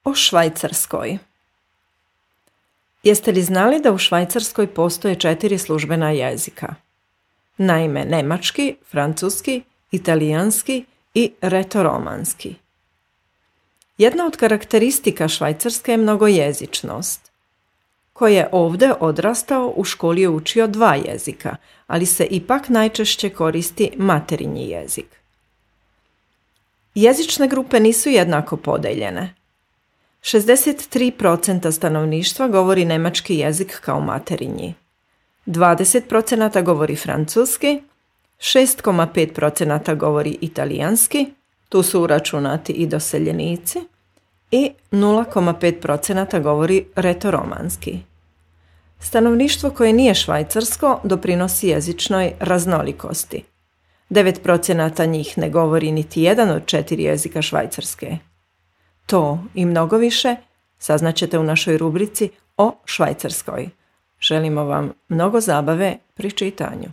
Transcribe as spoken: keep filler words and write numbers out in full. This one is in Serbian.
O Švajcarskoj. Jeste li znali da u Švajcarskoj postoje četiri službena jezika? Naime, nemački, francuski, italijanski i retoromanski. Jedna od karakteristika Švajcarske je mnogojezičnost. Ko je ovdje odrastao, u školi je učio dva jezika, ali se ipak najčešće koristi materinji jezik. Jezične grupe nisu jednako podeljene. šezdeset tri posto stanovništva govori nemački jezik kao materinji, dvadeset posto govori francuski, šest zarez pet posto govori italijanski, tu su uračunati i doseljenici, i nula zarez pet posto govori retoromanski. Stanovništvo koje nije švajcarsko doprinosi jezičnoj raznolikosti. devet posto njih ne govori niti jedan od četiri jezika Švajcarske. To i mnogo više saznaćete u našoj rubrici o Švajcarskoj. Želimo vam mnogo zabave pri čitanju.